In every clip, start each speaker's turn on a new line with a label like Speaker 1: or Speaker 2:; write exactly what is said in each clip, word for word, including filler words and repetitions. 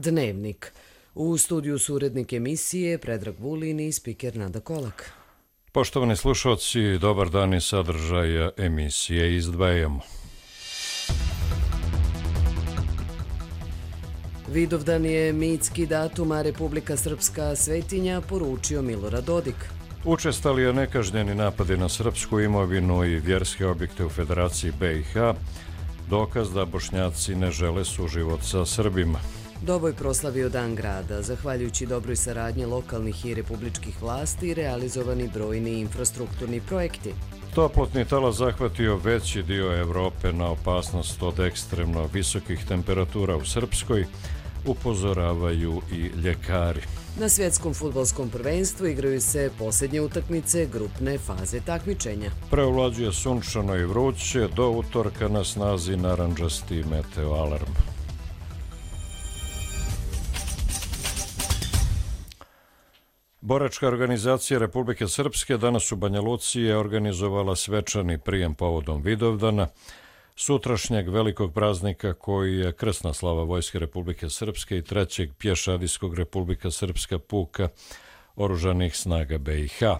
Speaker 1: Dnevnik. U studiju su urednik emisije Predrag Vulin i spiker Nada Kolak.
Speaker 2: Poštovani slušalci, dobar dan i sadržaja emisije izdvajamo.
Speaker 1: Vidovdan je mitski datum, a Republika Srpska svetinja, poručio Milorad Dodik.
Speaker 2: Učestali je nekažnjeni napadi na srpsku imovinu i vjerske objekte u Federaciji B i H, dokaz da Bošnjaci ne žele suživot sa Srbima.
Speaker 1: Doboj proslavio Dan grada, zahvaljujući dobroj saradnji lokalnih i republičkih vlasti realizovani brojni infrastrukturni projekti.
Speaker 2: Toplotni talas zahvatio veći dio Evrope na opasnost od ekstremno visokih temperatura u Srpskoj, upozoravaju i ljekari.
Speaker 1: Na svjetskom fudbalskom prvenstvu igraju se posljednje utakmice grupne faze takmičenja.
Speaker 2: Preovlađuje sunčano i vruće, do utorka na snazi narandžasti meteo alarm. Boračka organizacija Republike Srpske danas u Banja Luci je organizovala svečani prijem povodom Vidovdana, sutrašnjeg velikog praznika koji je krsna slava Vojske Republike Srpske i trećeg pješadijskog Republika Srpska puka oružanih snaga B i H.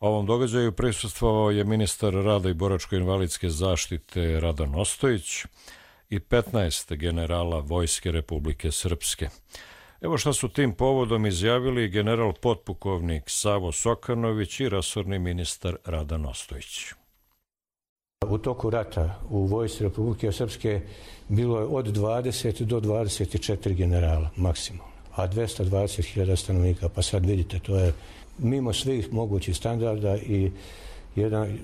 Speaker 2: Ovom događaju prisustvovao je ministar rada i boračko-invalidske zaštite Radan Ostojić i petnaest generala Vojske Republike Srpske. Evo šta su tim povodom izjavili general potpukovnik Savo Sokanović i resorni ministar Radan Ostojić.
Speaker 3: U toku rata u Vojsci Republike Srpske bilo je od dvadeset do dvadeset četiri generala maksimalno, a dvesta dvadeset hiljada stanovnika. Pa sad vidite, to je mimo svih mogućih standarda i jedan,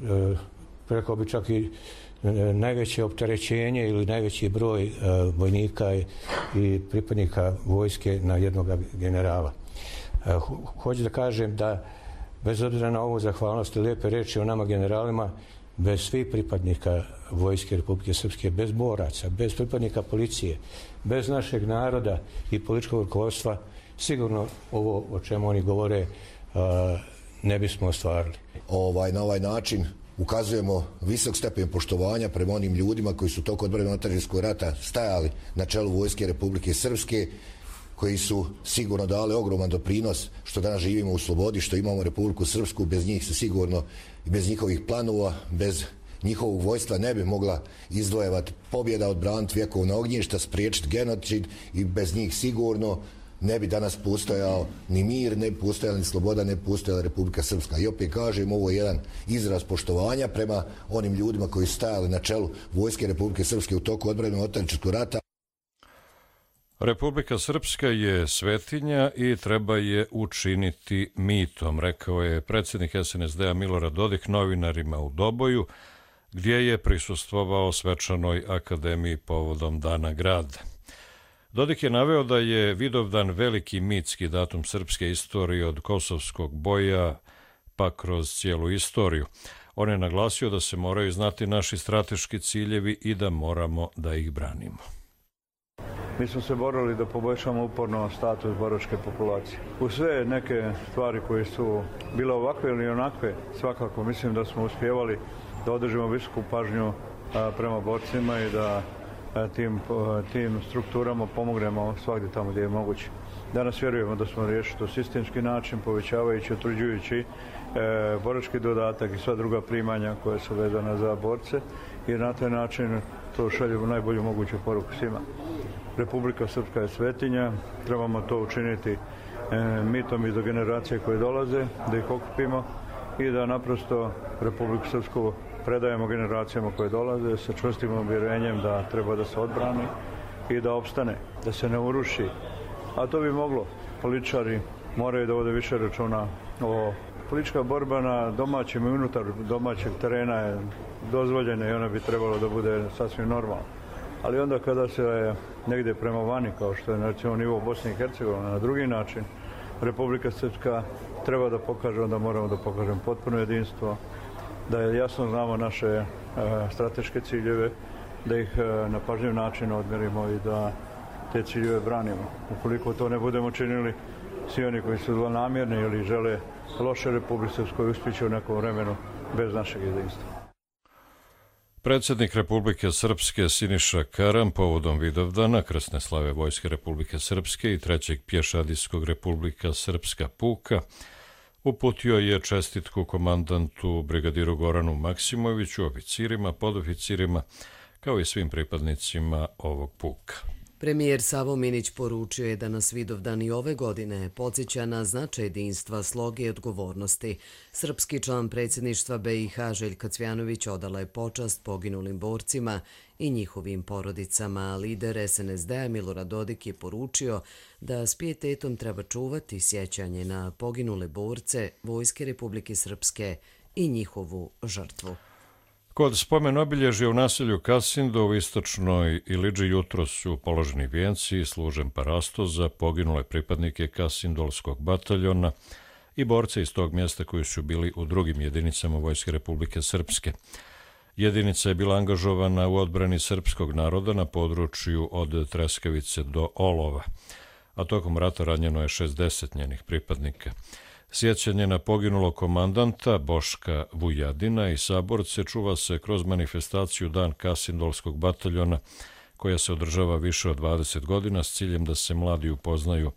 Speaker 3: rekao bi čak i najveće opterećenje ili najveći broj vojnika i pripadnika vojske na jednog generala. Hoću da kažem da bez obzira na ovu zahvalnost i lijepe reči o nama generalima, bez svih pripadnika Vojske Republike Srpske, bez boraca, bez pripadnika policije, bez našeg naroda i političkog rukovodstva, sigurno ovo o čemu oni govore ne bismo ostvarili.
Speaker 4: Ovaj, na ovaj način ukazujemo visok stepen poštovanja prema onim ljudima koji su tokom odbrane otadžbinskog rata stajali na čelu Vojske Republike Srpske, koji su sigurno dali ogroman doprinos što danas živimo u slobodi, što imamo Republiku Srpsku. Bez njih se sigurno, bez njihovih planova, bez njihovog vojstva ne bi mogla izdvojevati pobjeda, odbraniti vjekovna ognjišta, spriječiti genocid i bez njih sigurno ne bi danas postojao ni mir, ne bi postojala ni sloboda, ne bi postojala Republika Srpska. I opet kažem, ovo je jedan izraz poštovanja prema onim ljudima koji su stajali na čelu Vojske Republike Srpske u toku odbrane otadžbinskog rata.
Speaker 2: Republika Srpska je svetinja i treba je učiniti mitom, rekao je predsjednik S N S D-a Milorad Dodik novinarima u Doboju, gdje je prisustvovao svečanoj akademiji povodom Dana grada. Dodik je naveo da je Vidovdan veliki mitski datum srpske istorije od kosovskog boja pa kroz cijelu istoriju. On je naglasio da se moraju znati naši strateški ciljevi i da moramo da ih branimo.
Speaker 5: Mi smo se borili da poboljšamo uporno status boračke populacije. U sve neke stvari koje su bile ovakve ili onakve, svakako mislim da smo uspjevali da održimo visoku pažnju prema borcima i da tim, tim strukturama pomognemo svakdje tamo gdje je moguće. Danas vjerujemo da smo riješili to sistemski način, povećavajući, utvrđujući e, borački dodatak i sva druga primanja koje su vezane za borce i na taj način to šaljemo najbolju moguću poruku svima. Republika Srpska je svetinja, trebamo to učiniti e, mitom i do generacije koje dolaze, da ih okupimo i da naprosto Republiku Srpsku predajemo generacijama koje dolaze sa čvrstim uvjerenjem da treba da se odbrani i da opstane, da se ne uruši. A to bi moglo. Političari moraju da vode više računa o politička borba na domaćem i unutar domaćeg terena je dozvoljena i ona bi trebalo da bude sasvim normalna. Ali onda kada se negdje prema vani, kao što je recimo nivo Bosne i Hercegovine, na drugi način, Republika Srpska treba da pokaže, onda moramo da pokažemo potpuno jedinstvo, da jasno znamo naše e, strateške ciljeve, da ih e, na pažljiv način odmjerimo i da te ciljeve branimo. Ukoliko to ne budemo činili, svi oni koji su zlonamjerni ili žele loše Republike Srpskoj uspjeće u nekom vremenu bez našeg jedinstva.
Speaker 2: Predsjednik Republike Srpske Siniša Karam povodom Vidovdana, krsne slave Vojske Republike Srpske i trećeg pješadijskog Republika Srpska puka, uputio je čestitku komandantu brigadiru Goranu Maksimoviću, oficirima, podoficirima, kao i svim pripadnicima ovog puka.
Speaker 1: Premijer Savo Minić poručio je da nas Vidovdan i ove godine podsjeća na značaj jedinstva, sloge i odgovornosti. Srpski član predsjedništva B i H Željka Cvjanović odala je počast poginulim borcima i njihovim porodicama, a lider S N S D-a Milorad Dodik je poručio da s pijetetom treba čuvati sjećanje na poginule borce Vojske Republike Srpske i njihovu žrtvu.
Speaker 2: Kod spomen obilježja u naselju Kasindo u istočnoj Iliđi jutro su položeni vijenci i služen parasto za poginule pripadnike Kasindolskog bataljona i borce iz tog mjesta koji su bili u drugim jedinicama Vojske Republike Srpske. Jedinica je bila angažovana u odbrani srpskog naroda na području od Treskavice do Olova, a tokom rata ranjeno je šezdeset njenih pripadnika. Sjećanje na poginulog komandanta Boška Vujadina i saborce čuva se kroz manifestaciju Dan Kasindolskog bataljona, koja se održava više od dvadeset godina s ciljem da se mladi upoznaju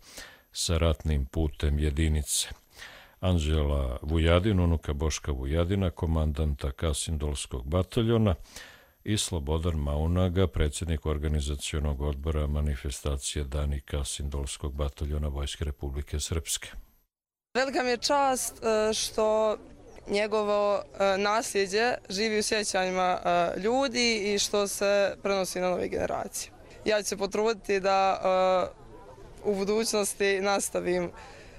Speaker 2: sa ratnim putem jedinice. Anđela Vujadin, unuka Boška Vujadina, komandanta Kasindolskog bataljona, i Slobodan Maunaga, predsjednik organizacionog odbora manifestacije Dani Kasindolskog bataljona Vojske Republike Srpske.
Speaker 6: Velika mi je čast što njegovo nasljeđe živi u sjećanjima ljudi i što se prenosi na nove generacije. Ja ću se potruditi da u budućnosti nastavim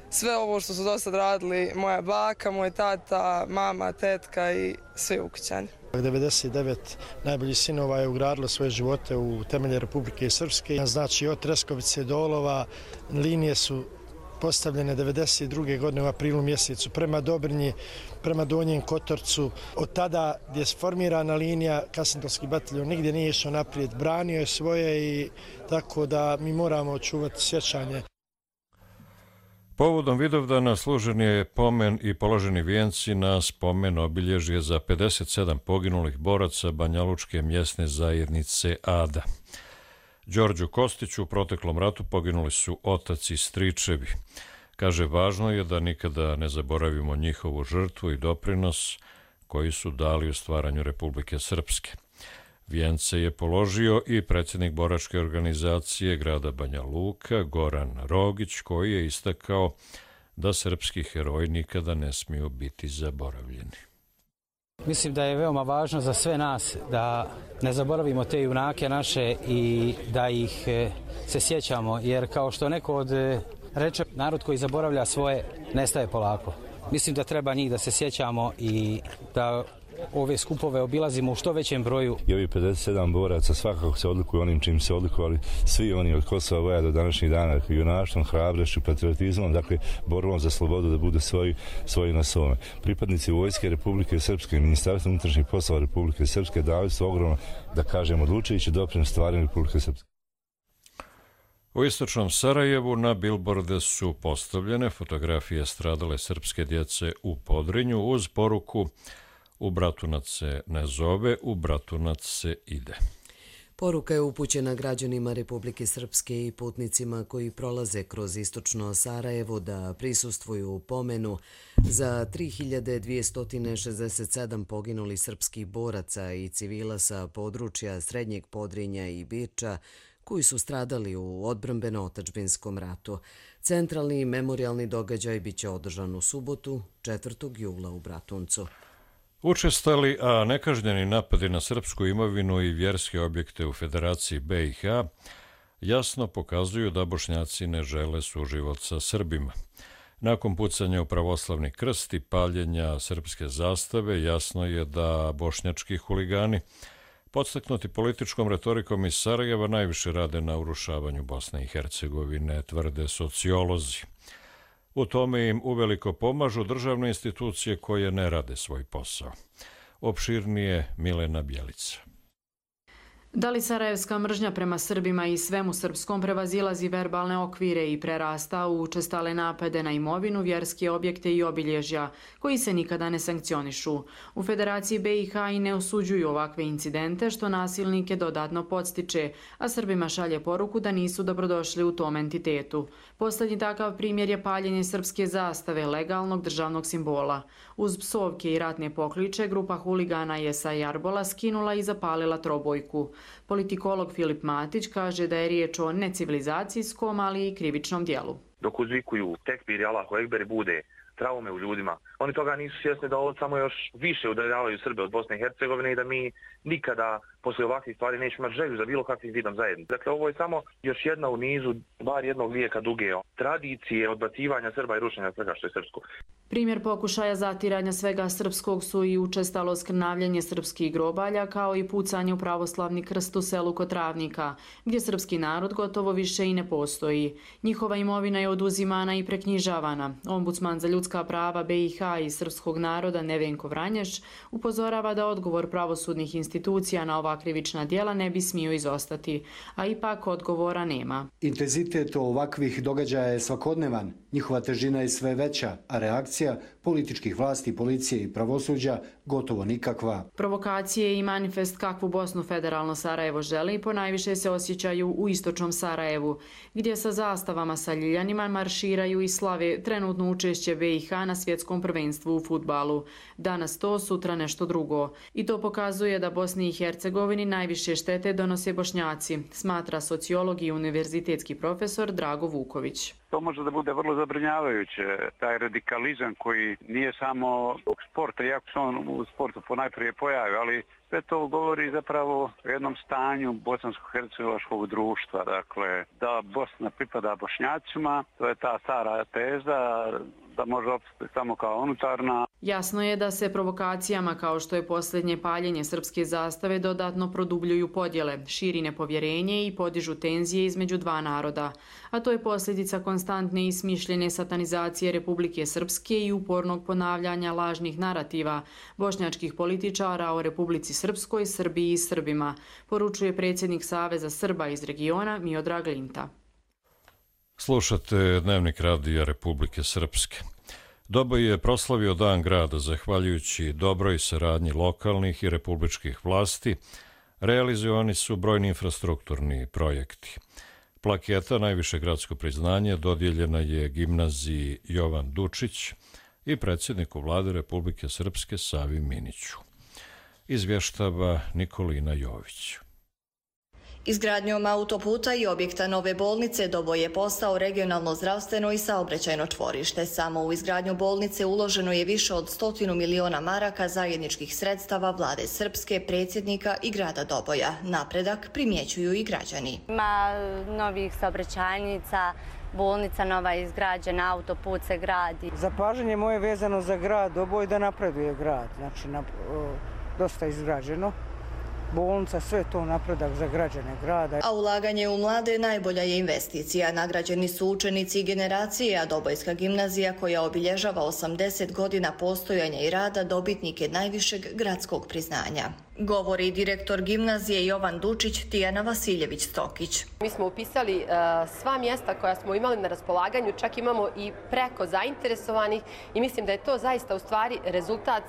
Speaker 6: sve ovo što su do sad radili moja baka, moj tata, mama, tetka i svi ukućani.
Speaker 7: devedeset devet najboljih sinova je ugradilo svoje živote u temelje Republike Srpske. Znači od Treskovice do Olova linije su postavljene devedeset druge godine u aprilu mjesecu prema Dobrinji, prema Donjem Kotorcu. Od tada gdje je formirana linija, Kasindolski bataljon nigdje nije išao naprijed, branio je svoje i tako da mi moramo očuvati sjećanje.
Speaker 2: Povodom Vidovdana služen je pomen i položeni vijenci na spomen obilježje za pedeset sedam poginulih boraca Banjalučke mjesne zajednice Ada. Đorđu Kostiću u proteklom ratu poginuli su otac i stričevi. Kaže, važno je da nikada ne zaboravimo njihovu žrtvu i doprinos koji su dali u stvaranju Republike Srpske. Vijence je položio i predsjednik boračke organizacije grada Banja Luka, Goran Rogić, koji je istakao da srpski heroji nikada ne smiju biti zaboravljeni.
Speaker 8: Mislim da je veoma važno za sve nas da ne zaboravimo te junake naše i da ih se sjećamo, jer kao što neko od reče, narod koji zaboravlja svoje nestaje polako. Mislim da treba njih da se sjećamo i da ove skupove obilazimo u što većem broju.
Speaker 9: I ovi pedeset sedam boraca svakako se odlikuju onim čim se odlikovali svi oni od Kosova Voja do današnjih dana, junaštvom, hrabrošću, patriotizmom, dakle borbom za slobodu da budu svoji, svoji na svome. Pripadnici Vojske Republike Srpske i Ministarstva unutrašnjih poslova Republike Srpske dali su ogromno, da kažem, odlučujući doprinos stvaranju Republike Srpske.
Speaker 2: U istočnom Sarajevu na bilborde su postavljene fotografije stradale srpske djece u Podrinju uz poruku "U Bratunac se ne zove, u Bratunac se ide".
Speaker 1: Poruka je upućena građanima Republike Srpske i putnicima koji prolaze kroz istočno Sarajevo da prisustvuju pomenu za tri hiljade dvjesto šezdeset sedam poginulih srpskih boraca i civila sa područja Srednjeg Podrinja i Birča koji su stradali u odbrambeno-otadžbinskom ratu. Centralni memorijalni događaj biće održan u subotu, četvrtog jula u Bratuncu.
Speaker 2: Učestali, a nekažnjeni napadi na srpsku imovinu i vjerske objekte u Federaciji B i H jasno pokazuju da Bošnjaci ne žele suživot sa Srbima. Nakon pucanja u pravoslavni krst i paljenja srpske zastave, jasno je da bošnjački huligani, podstaknuti političkom retorikom iz Sarajeva, najviše rade na urušavanju Bosne i Hercegovine, tvrde sociolozi. U tome im uveliko pomažu državne institucije koje ne rade svoj posao. Opširnije Milena Bjelica.
Speaker 10: Da li sarajevska mržnja prema Srbima i svemu srpskom prevazilazi verbalne okvire i prerasta u učestale napade na imovinu, vjerske objekte i obilježja, koji se nikada ne sankcionišu? U Federaciji B i H i ne osuđuju ovakve incidente, što nasilnike dodatno podstiče, a Srbima šalje poruku da nisu dobrodošli u tom entitetu. Poslednji takav primjer je paljenje srpske zastave, legalnog državnog simbola. Uz psovke i ratne pokliče, grupa huligana je sa jarbola skinula i zapalila trobojku. Politikolog Filip Matić kaže da je riječ o necivilizacijskom, ali i krivičnom dijelu.
Speaker 11: Dok uzvikuju tekbir i Allahu Ekber bude traume u ljudima, oni toga nisu svjesni da ovo samo još više udaljavaju Srbe od Bosne i Hercegovine i da mi nikada posle ovakvih stvari nećemo imati želju za bilo kakvim vidom zajednice. Dakle, ovo je samo još jedna u nizu, bar jednog vijeka duge tradicije odbacivanja Srba i rušenja svega što je srpsko.
Speaker 10: Primjer pokušaja zatiranja svega srpskog su i učestalo skrnavljanje srpskih grobalja, kao i pucanje u pravoslavni krst u selu Kotravnika, gdje srpski narod gotovo više i ne postoji. Njihova imovina je oduzimana i preknjižavana. Ombudsman za ljudska prava B i H i srpskog naroda Nevenko Vranješ upozorava da odgovor pravosudnih institucija na ova krivična djela ne bi smio izostati, a ipak odgovora nema.
Speaker 12: Intenzitet ovakvih događaja je svakodnevan, njihova težina je sve veća, a reakcija političkih vlasti, policije i pravosuđa gotovo nikakva.
Speaker 10: Provokacije i manifest kakvu Bosnu federalno Sarajevo želi ponajviše se osjećaju u istočnom Sarajevu, gdje sa zastavama sa ljiljanima marširaju i slave trenutno učešće B i H na svjetskom prvenstvu u fudbalu. Danas to, sutra nešto drugo. I to pokazuje da Bosni i Hercegovini najviše štete donose Bošnjaci, smatra sociolog i univerzitetski profesor Drago Vuković.
Speaker 13: To može da bude vrlo zabrinjavajuće, taj radikalizam koji nije samo zbog sporta, iako se on u sportu ponajprije pojavi, ali sve to govori zapravo o jednom stanju bosansko-hercegovačkog društva. Dakle, da Bosna pripada Bošnjacima, to je ta stara teza da može opstati samo kao unutarna.
Speaker 10: Jasno je da se provokacijama kao što je posljednje paljenje srpske zastave dodatno produbljuju podjele, širi nepovjerenje i podižu tenzije između dva naroda. A to je posljedica konstantne i smišljene satanizacije Republike Srpske i upornog ponavljanja lažnih narativa bošnjačkih političara o Republici Srpskoj, Srbiji i Srbima, poručuje predsjednik Saveza Srba iz regiona Miodrag Linta.
Speaker 2: Slušate Dnevnik radija Republike Srpske. Doboj je proslavio Dan grada zahvaljujući dobroj saradnji lokalnih i republičkih vlasti. Realizovani su brojni infrastrukturni projekti. Plaketa najviše gradsko priznanje dodijeljena je gimnaziji Jovan Dučić i predsjedniku vlade Republike Srpske Savi Miniću. Izvještava Nikolina Jović.
Speaker 14: Izgradnjom autoputa i objekta nove bolnice Doboj je postao regionalno zdravstveno i saobraćajno čvorište. Samo u izgradnju bolnice uloženo je više od stotinu miliona maraka zajedničkih sredstava vlade Srpske, predsjednika i grada Doboja. Napredak primjećuju i građani.
Speaker 15: Ima novih saobraćajnica, bolnica nova je izgrađena, autoput se gradi.
Speaker 16: Zapažanje moje vezano za grad Doboj da napreduje grad, znači na, o, dosta izgrađeno. Bolnica, sve to napredak za građane grada.
Speaker 14: A ulaganje u mlade najbolja je investicija. Nagrađeni su učenici i generacije, a Dobojska gimnazija koja obilježava osamdeset godina postojanja i rada dobitnik je najvišeg gradskog priznanja. Govori direktor gimnazije Jovan Dučić, Tijana Vasiljević-Stokić.
Speaker 17: Mi smo upisali uh, sva mjesta koja smo imali na raspolaganju, čak imamo i preko zainteresovanih i mislim da je to zaista u stvari rezultat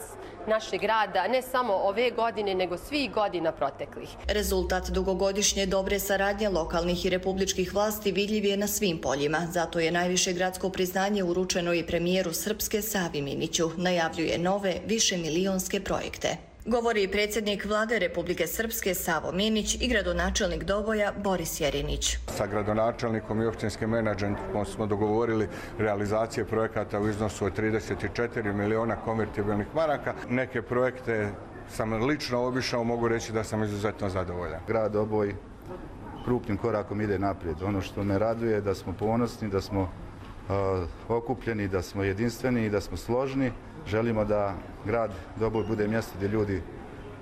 Speaker 17: našeg rada, ne samo ove godine, nego svih godina proteklih.
Speaker 14: Rezultat dugogodišnje dobre saradnje lokalnih i republičkih vlasti vidljiv je na svim poljima. Zato je najviše gradsko priznanje uručeno i premijeru Srpske Savi Miniću. Najavljuje nove, višemilionske projekte. Govori i predsjednik vlade Republike Srpske Savo Minić i gradonačelnik Doboja Boris Jerinić.
Speaker 18: Sa gradonačelnikom i općinskim menadžmentom smo dogovorili realizacije projekata u iznosu od trideset četiri miliona konvertibilnih maraka. Neke projekte sam lično obišao, mogu reći da sam izuzetno zadovoljan.
Speaker 19: Grad Doboj krupnim korakom ide naprijed. Ono što me raduje je da smo ponosni, da smo uh, okupljeni, da smo jedinstveni i da smo složni. Želimo da grad Doboj bude mjesto gdje ljudi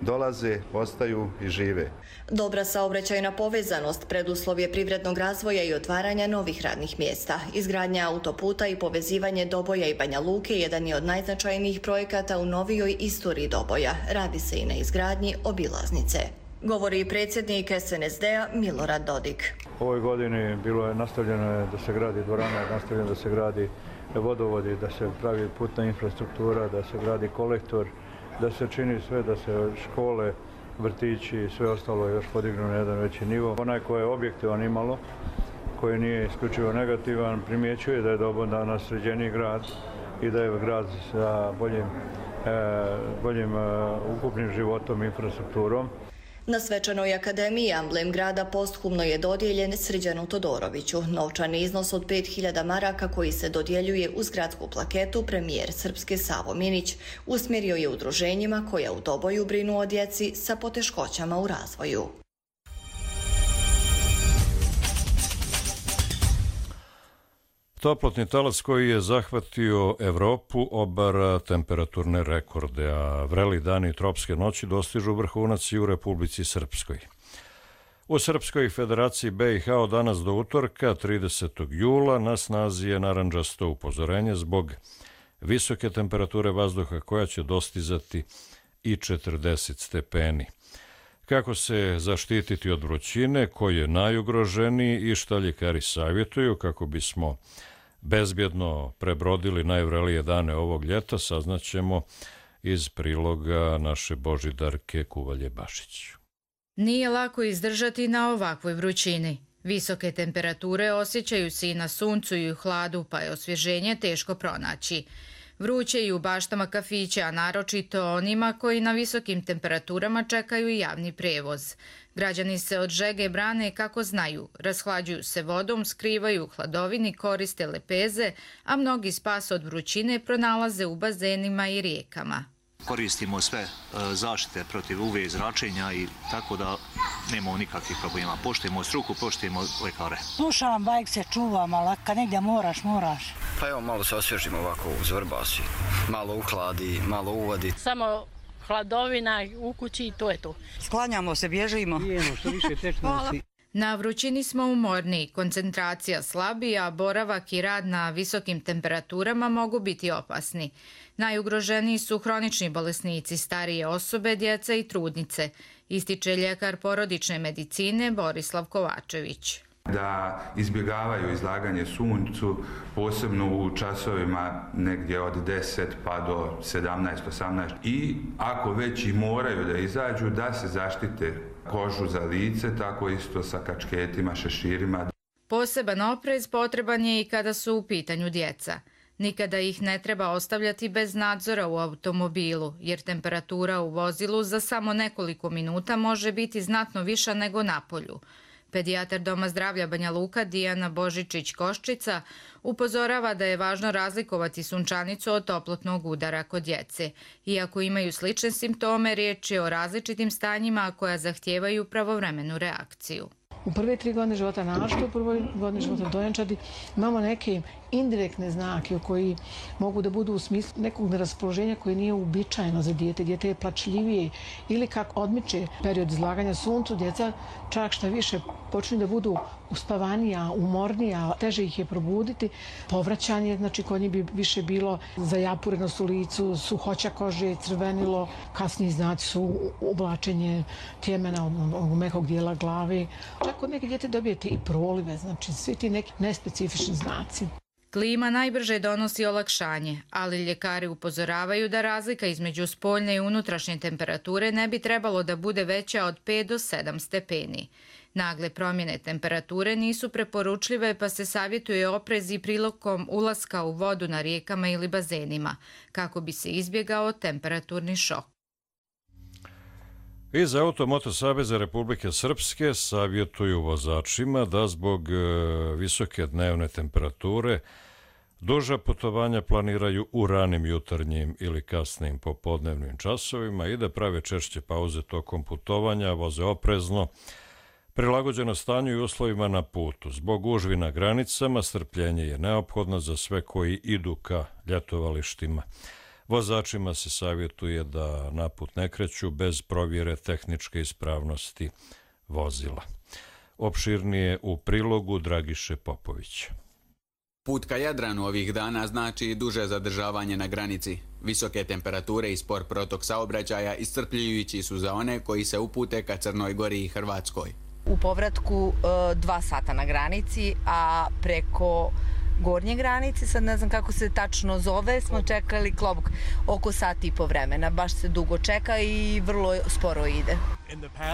Speaker 19: dolaze, ostaju i žive.
Speaker 14: Dobra saobraćajna povezanost preduslov je privrednog razvoja i otvaranja novih radnih mjesta. Izgradnja autoputa i povezivanje Doboja i Banja Luke jedan je od najznačajnijih projekata u novijoj istoriji Doboja. Radi se i na izgradnji obilaznice. govori i predsjednik S N S D-a Milorad Dodik.
Speaker 5: U ovoj godini bilo je nastavljeno da se gradi dvorana, nastavljeno da se gradi vodovodi, da se pravi putna infrastruktura, da se gradi kolektor, da se čini sve da se škole, vrtići i sve ostalo još podignu na jedan veći nivo. Onaj ko je objektivan imalo, koji nije isključivo negativan, primjećuje da je dobro danas sređeniji grad i da je grad sa boljim, e, boljim e, ukupnim životom i infrastrukturom.
Speaker 14: Na svečanoj akademiji amblem grada posthumno je dodijeljen Srđanu Todoroviću. Novčani iznos od pet hiljada maraka koji se dodjeljuje uz gradsku plaketu premijer Srpske Savo Minić usmjerio je udruženjima koja u Doboju brinu o djeci sa poteškoćama u razvoju.
Speaker 2: Toplotni talas koji je zahvatio Evropu obara temperaturne rekorde, a vreli dani i tropske noći dostižu vrhunac i u Republici Srpskoj. U Srpskoj Federaciji B i H od danas do utorka, tridesetog jula, na snazi je narandžasto upozorenje zbog visoke temperature vazduha koja će dostizati i četrdeset stepeni. Kako se zaštititi od vrućine, koji je najugroženiji i šta ljekari savjetuju kako bismo bezbjedno prebrodili najvrelije dane ovog ljeta, saznaćemo iz priloga naše Božidarke Kuvalje-Bašić.
Speaker 20: Nije lako izdržati na ovakvoj vrućini. Visoke temperature osjećaju se i na suncu i u hladu, pa je osvježenje teško pronaći. Vruće i u baštama kafića, a naročito onima koji na visokim temperaturama čekaju i javni prevoz. Građani se od žege brane kako znaju, rashlađuju se vodom, skrivaju u hladovini, koriste lepeze, a mnogi spas od vrućine pronalaze u bazenima i rijekama.
Speaker 21: Koristimo sve zaštite protiv U V zračenja i tako da nemamo nikakvih problema. Poštujemo struku, poštujemo lekare.
Speaker 22: Slušam, bajk se čuvam, ali kad negdje moraš, moraš.
Speaker 23: Pa evo, malo se osvježimo ovako uz vrbasi, malo uhladi, malo uvadi.
Speaker 24: Samo hladovina u kući i to je to.
Speaker 22: Sklanjamo se, bježimo. Bijemo, što više tečnosti.
Speaker 20: Na vrućini smo umorni, koncentracija slabija, boravak i rad na visokim temperaturama mogu biti opasni. Najugroženiji su hronični bolesnici, starije osobe, djeca i trudnice, ističe ljekar porodične medicine Borislav Kovačević.
Speaker 25: Da izbjegavaju izlaganje suncu, posebno u časovima negdje od deset pa do sedamnaest osamnaest. I ako već i moraju da izađu, da se zaštite kožu za lice, tako isto sa kačketima, šeširima.
Speaker 20: Poseban oprez potreban je i kada su u pitanju djeca. Nikada ih ne treba ostavljati bez nadzora u automobilu, jer temperatura u vozilu za samo nekoliko minuta može biti znatno viša nego na polju. Pedijatar Doma zdravlja Banja Luka Dijana Božičić-Koščica upozorava da je važno razlikovati sunčanicu od toplotnog udara kod djece. Iako imaju slične simptome, riječ je o različitim stanjima koja zahtijevaju pravovremenu reakciju.
Speaker 26: U prve tri godine života, naročito u prvoj godini života dojenčadi, imamo neke indirektne znake koji mogu da budu u smislu nekog neraspoloženja koje nije uobičajeno za dijete. Dijete je plačljivije ili kako odmiče period izlaganja suncu, djeca čak šta više počinju da budu uspavanija, umornija, teže ih je probuditi. Povraćanje, znači kod njih bi više bilo zajapurenost u licu, suhoća kože, crvenilo, kasniji znaci su oblačenje tjemena od mekog dijela glave. Čak kod neke djete dobijete i prolive, znači svi ti neki nespecifični znaci.
Speaker 20: Klima najbrže donosi olakšanje, ali ljekari upozoravaju da razlika između spoljne i unutrašnje temperature ne bi trebalo da bude veća od pet do sedam stepeni. Nagle promjene temperature nisu preporučljive, pa se savjetuje oprez i prilikom ulaska u vodu na rijekama ili bazenima, kako bi se izbjegao temperaturni šok.
Speaker 2: Iz Automoto saveza Republike Srpske savjetuju vozačima da zbog visoke dnevne temperature duža putovanja planiraju u ranim jutarnjim ili kasnim popodnevnim časovima i da prave češće pauze tokom putovanja, voze oprezno, prilagođeno stanju i uslovima na putu. Zbog gužvi na granicama strpljenje je neophodno za sve koji idu ka ljetovalištima. Vozačima se savjetuje da na put ne kreću bez provjere tehničke ispravnosti vozila. Opširnije u prilogu Dragiše Popovića.
Speaker 3: Put ka Jadranu ovih dana znači duže zadržavanje na granici. Visoke temperature i spor protok saobraćaja iscrpljujući su za one koji se upute ka Crnoj Gori i Hrvatskoj.
Speaker 4: U povratku dva sata na granici, a preko gornje granice, sad ne znam kako se tačno zove, smo čekali klobuk oko sat i po vremena. Baš se dugo čeka i vrlo sporo ide.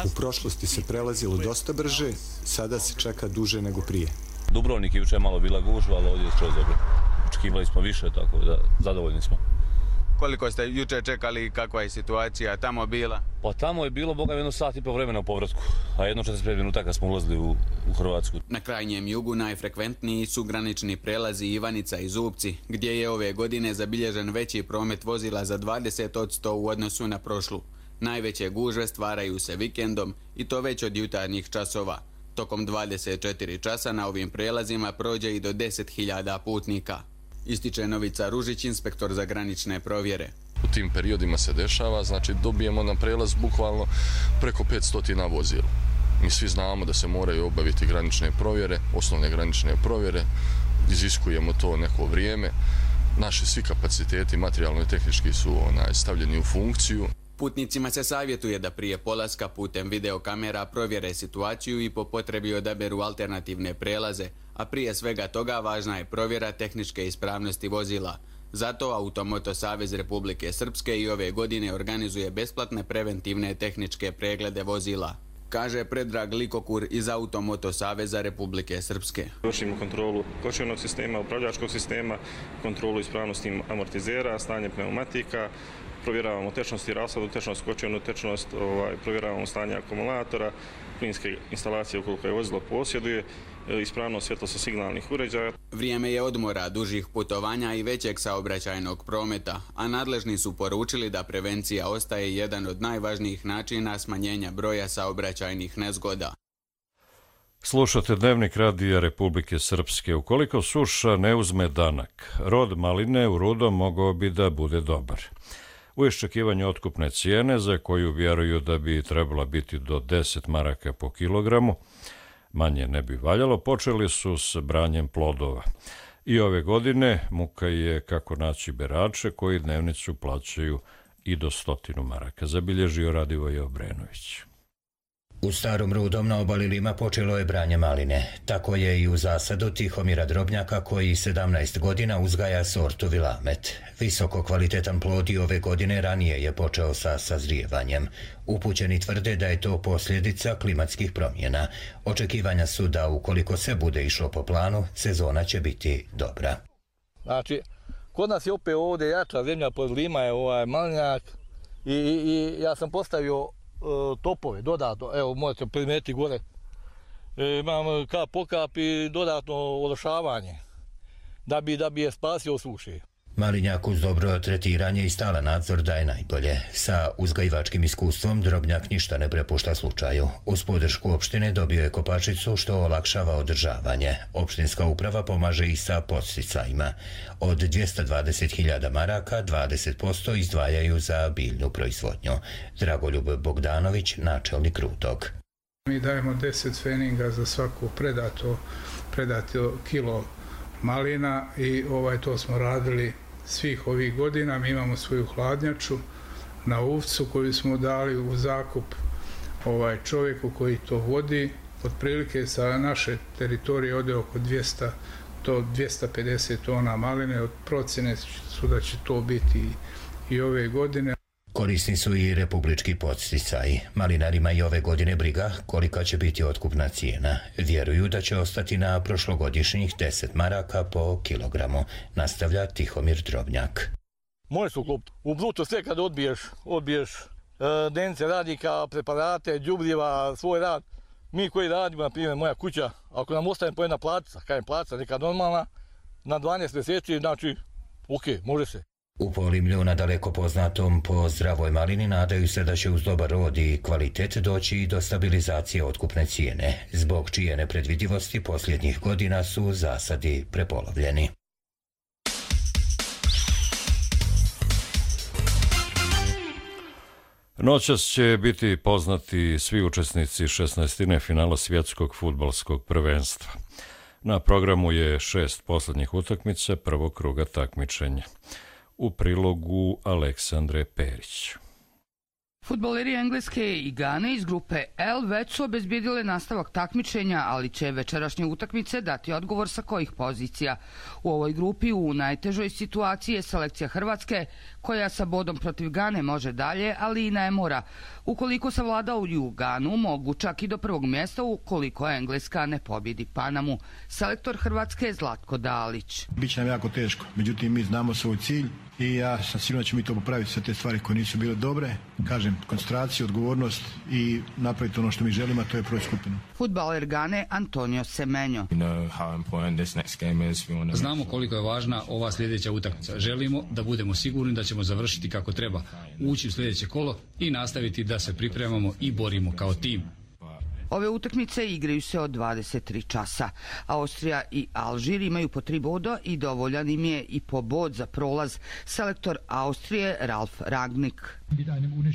Speaker 6: U prošlosti se prelazilo dosta brže, sada se čeka duže nego prije.
Speaker 7: Dubrovnik je jučer malo bila gužva, ali ovdje je skroz dobro. Očekivali smo više, tako da zadovoljni smo.
Speaker 3: Koliko ste jučer čekali i kakva je situacija tamo bila?
Speaker 7: Pa tamo je bilo, boga, jedno sat i po vremena u povratku, a jedno četrdeset pet minuta kad smo ulazili u, u Hrvatsku.
Speaker 3: Na krajnjem jugu najfrekventniji su granični prelazi Ivanica i Zubci, gdje je ove godine zabilježen veći promet vozila za dvadeset posto u odnosu na prošlu. Najveće gužve stvaraju se vikendom i to već od jutarnjih časova. Tokom dvadeset četiri časa na ovim prelazima prođe i do deset hiljada putnika. Ističe Novica Ružić, inspektor za granične provjere.
Speaker 8: U tim periodima se dešava, znači dobijemo na prelaz bukvalno preko petsto vozila. Mi svi znamo da se moraju obaviti granične provjere, osnovne granične provjere, iziskujemo to neko vrijeme. Naši svi kapaciteti materijalno i tehnički su onaj, stavljeni u funkciju.
Speaker 3: Putnicima se savjetuje da prije polaska putem videokamera provjere situaciju i po potrebi odaberu alternativne prelaze, a prije svega toga važna je provjera tehničke ispravnosti vozila. Zato Automoto Savez Republike Srpske i ove godine organizuje besplatne preventivne tehničke preglede vozila, kaže Predrag Likokur iz Automoto Saveza Republike Srpske.
Speaker 9: Vršimo kontrolu kočionog sistema, upravljačkog sistema, kontrolu ispravnosti amortizera, stanje pneumatika, provjeravamo tečnost i rasadu, tečnost kočionu, tečnost, ovaj, provjeravamo stanje akumulatora, plinske instalacije ukoliko je vozilo posjeduje, ispravnost svjetlosto signalnih uređaja.
Speaker 3: Vrijeme je odmora, dužih putovanja i većeg saobraćajnog prometa, a nadležni su poručili da prevencija ostaje jedan od najvažnijih načina smanjenja broja saobraćajnih nezgoda.
Speaker 2: Slušate Dnevnik Radija Republike Srpske. Ukoliko suša ne uzme danak, rod maline u Rudom mogao bi da bude dobar. U iščekivanju otkupne cijene, za koju vjeruju da bi trebala biti do deset maraka po kilogramu, manje ne bi valjalo, počeli su s branjem plodova. I ove godine muka je kako naći berače koji dnevnicu plaćaju i do stotinu maraka, zabilježio Radivoje Obrenović.
Speaker 27: U Starom Rudom na obali Lima počelo je branje maline. Tako je i u zasadu Tihomira Drobnjaka koji sedamnaest godina uzgaja sortu Vilamet. Visoko kvalitetan plod i ove godine ranije je počeo sa sazrijevanjem. Upućeni tvrde da je to posljedica klimatskih promjena. Očekivanja su da ukoliko se bude išlo po planu, sezona će biti dobra.
Speaker 28: Znači, kod nas je opet ovdje jača zemlja pod Lima je ovaj malinjak i, i, i ja sam postavio topove dodatno, evo možete primijetiti gore, e, imam kap po kap i dodatno ološavanje da bi, da bi je spasio od suše.
Speaker 27: Malinjak uz dobro tretiranje i stalan nadzor daje najbolje. Sa uzgajivačkim iskustvom Drobnjak ništa ne prepušta slučaju. Uz podršku opštine dobio je kopačicu što olakšava održavanje. Opštinska uprava pomaže i sa podsticajima. Od dvjesto dvadeset hiljada maraka dvadeset posto izdvajaju za biljnu proizvodnju. Dragoljub Bogdanović, načelnik Rudog.
Speaker 29: Mi dajemo deset feninga za svako predato, predato kilo malina i ovaj to smo radili svih ovih godina. Mi imamo svoju hladnjaču na Uvcu koju smo dali u zakup ovaj čovjeku koji to vodi. Otprilike sa naše teritorije ode oko dvjesto do dvjesto pedeset tona maline. Od procjene su da će to biti i ove godine.
Speaker 27: Korisni su i republički podsticaji. Malinarima i ove godine briga kolika će biti otkupna cijena. Vjeruju da će ostati na prošlogodišnjih deset maraka po kilogramu, nastavlja Tihomir Drobnjak.
Speaker 28: Može su klopiti. U bruto sve kad odbiješ, odbiješ e, dence radnika, preparate, đubriva, svoj rad. Mi koji radimo, na primjer moja kuća, ako nam ostane po jedna placa, kajem placa neka normalna, na dvanaest mjeseci, znači, ok, može se.
Speaker 27: U Polimlju, nadaleko poznatom po zdravoj malini, nadaju se da će uz dobar rod i kvalitet doći i do stabilizacije otkupne cijene, zbog čije nepredvidivosti posljednjih godina su zasadi prepolovljeni.
Speaker 2: Noćas će biti poznati svi učesnici šesnaestine finala svjetskog fudbalskog prvenstva. Na programu je šest posljednjih utakmica prvog kruga takmičenja. U prilogu Aleksandre Perić.
Speaker 1: Fudbaleri Engleske i Gane iz grupe L već su obezbijedile nastavak takmičenja, ali će večerašnje utakmice dati odgovor sa kojih pozicija. U ovoj grupi u najtežoj situaciji je selekcija Hrvatske, koja sa bodom protiv Gane može dalje, ali i ne mora. Ukoliko savladaju Ganu, mogu čak i do prvog mjesta ukoliko Engleska ne pobjedi Panamu. Selektor Hrvatske je Zlatko Dalić.
Speaker 10: Biće nam jako teško, međutim mi znamo svoj cilj i ja sam sigurno da ćemo mi to popraviti sa te stvari koje nisu bile dobre. Kažem, koncentraciju, odgovornost i napraviti ono što mi želimo, a to je proći skupinu.
Speaker 1: Fudbaler Gane Antonio Semenyo.
Speaker 11: Znamo koliko je važna ova sljedeća utakmica. Želimo da budemo sigurni da ćemo završiti kako treba, ući u sljedeće kolo i nastaviti da se pripremamo i borimo kao tim.
Speaker 1: Ove utakmice igraju se od dvadeset tri časa. Austrija i Alžir imaju po tri boda i dovoljan im je i po bod za prolaz. Selektor Austrije Ralf Rangnick.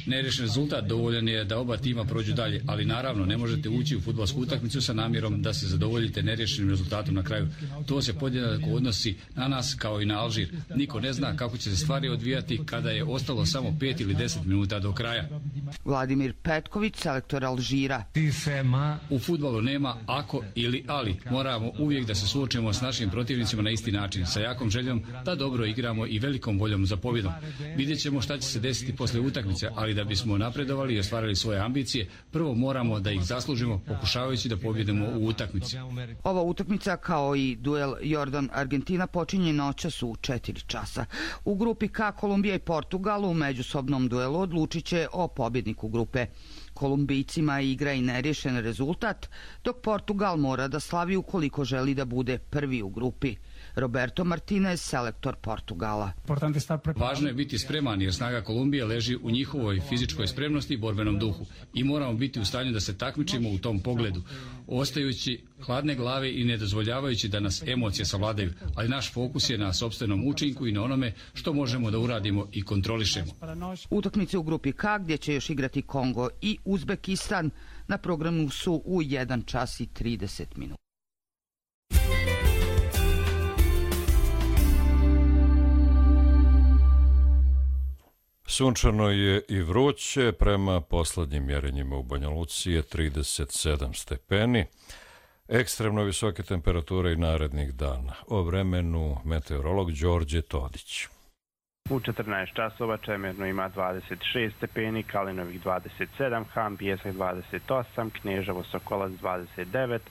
Speaker 11: Nerešen rezultat dovoljan je da oba tima prođu dalje, ali naravno ne možete ući u fudbalsku utakmicu sa namjerom da se zadovoljite nerešenim rezultatom na kraju. To se podjednako odnosi na nas kao i na Alžir. Niko ne zna kako će se stvari odvijati kada je ostalo samo pet ili deset minuta do kraja.
Speaker 1: Vladimir Petković, selektor Alžira.
Speaker 11: U fudbalu nema ako ili ali. Moramo uvijek da se suočimo s našim protivnicima na isti način, sa jakom željom da dobro igramo i velikom voljom za pobjedom. Vidjet ćemo šta će se desiti posle utakmice, ali da bismo napredovali i ostvarili svoje ambicije, prvo moramo da ih zaslužimo pokušavajući da pobjedimo u utakmici.
Speaker 1: Ova utakmica kao i duel Jordan-Argentina počinje noćas u četiri časa. U grupi K Kolumbija i Portugal u međusobnom duelu odlučit će o pobjedniku grupe. Kolumbijcima igra i nerješen rezultat, dok Portugal mora da slavi ukoliko želi da bude prvi u grupi. Roberto Martinez, selektor Portugala.
Speaker 11: Važno je biti spreman jer snaga Kolumbije leži u njihovoj fizičkoj spremnosti i borbenom duhu i moramo biti u stanju da se takmičimo u tom pogledu, ostajući hladne glave i ne dozvoljavajući da nas emocije savladaju, ali naš fokus je na sopstvenom učinku i na onome što možemo da uradimo i kontrolišemo.
Speaker 1: Utakmice u grupi K gdje će još igrati Kongo i Uzbekistan na programu su u jedan čas i trideset minuta.
Speaker 2: Sunčano je i vruće, prema poslednjim mjerenjima u Banja Luci je trideset sedam stepeni. Ekstremno visoke temperature i narednih dana. O vremenu meteorolog Đorđe Todić.
Speaker 12: U četrnaest časova Čemerno ima dvadeset šest stepeni, Kalinovih dvadeset sedam, Han Pijesak dvadeset osam, Kneževo Sokolac dvadeset devet,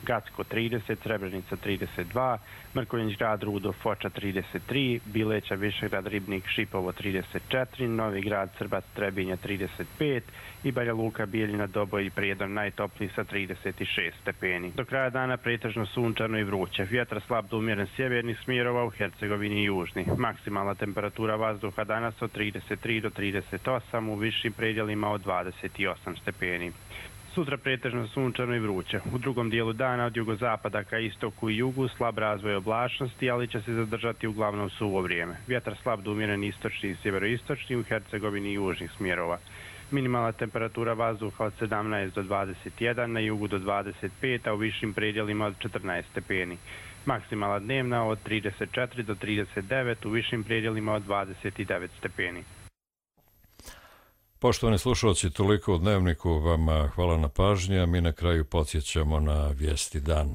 Speaker 12: Gacko trideset, Srebrenica trideset dva, Mrkonjić grad Rudo Foča trideset tri, Bileća Višegrad Ribnik Šipovo trideset četiri, Novi grad Srbac Trebinja trideset pet i Banja Luka Bijeljina Doboj i Prijedor najtopliji sa trideset šest stepeni. Do kraja dana pretežno sunčano i vruće. Vjetar slab do umjeren sjevernih smjerova u Hercegovini i južni. Maksimalna temperatura vazduha danas od trideset tri do trideset osam, u višim predjelima od dvadeset osam stepeni. Sutra pretežno sunčano i vruće. U drugom dijelu dana od jugozapada ka istoku i jugu slab razvoj oblačnosti, ali će se zadržati uglavnom suvo vrijeme. Vjetar slab do umjeren istočni i sjeveroistočni u Hercegovini i južnih smjerova. Minimalna temperatura vazduha od sedamnaest do dvadeset jedan, na jugu do dvadeset pet, a u višim predjelima od četrnaest stepeni. Maksimalna dnevna od trideset četiri do trideset devet, u višim predjelima od dvadeset devet stepeni.
Speaker 2: Poštovani slušalci, toliko u Dnevniku, vama hvala na pažnji, a mi na kraju podsjećamo na vijesti dana.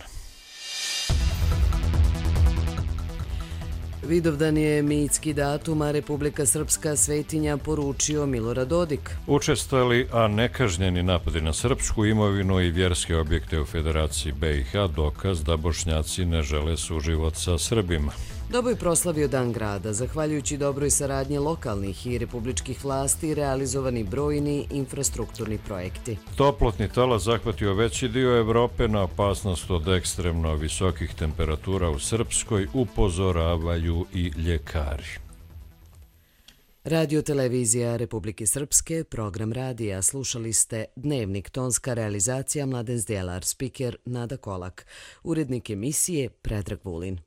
Speaker 13: Vidovdan je mitski datum, a Republika Srpska svetinja poručio Milorad Dodik.
Speaker 2: Učestali, a nekažnjeni napadi na srpsku imovinu i vjerske objekte u Federaciji B i H dokaz da Bošnjaci ne žele suživot sa Srbima.
Speaker 13: Doboj proslavio Dan grada, zahvaljujući dobroj saradnji lokalnih i republičkih vlasti realizovani brojni infrastrukturni projekti.
Speaker 2: Toplotni talas zahvatio veći dio Evrope, na opasnost od ekstremno visokih temperatura u Srpskoj upozoravaju i ljekari.
Speaker 13: Radio televizija Republike Srpske, program radija, slušali ste Dnevnik, tonska realizacija Mladen Zdjelar, spiker Nada Kolak, urednik emisije Predrag Vulin.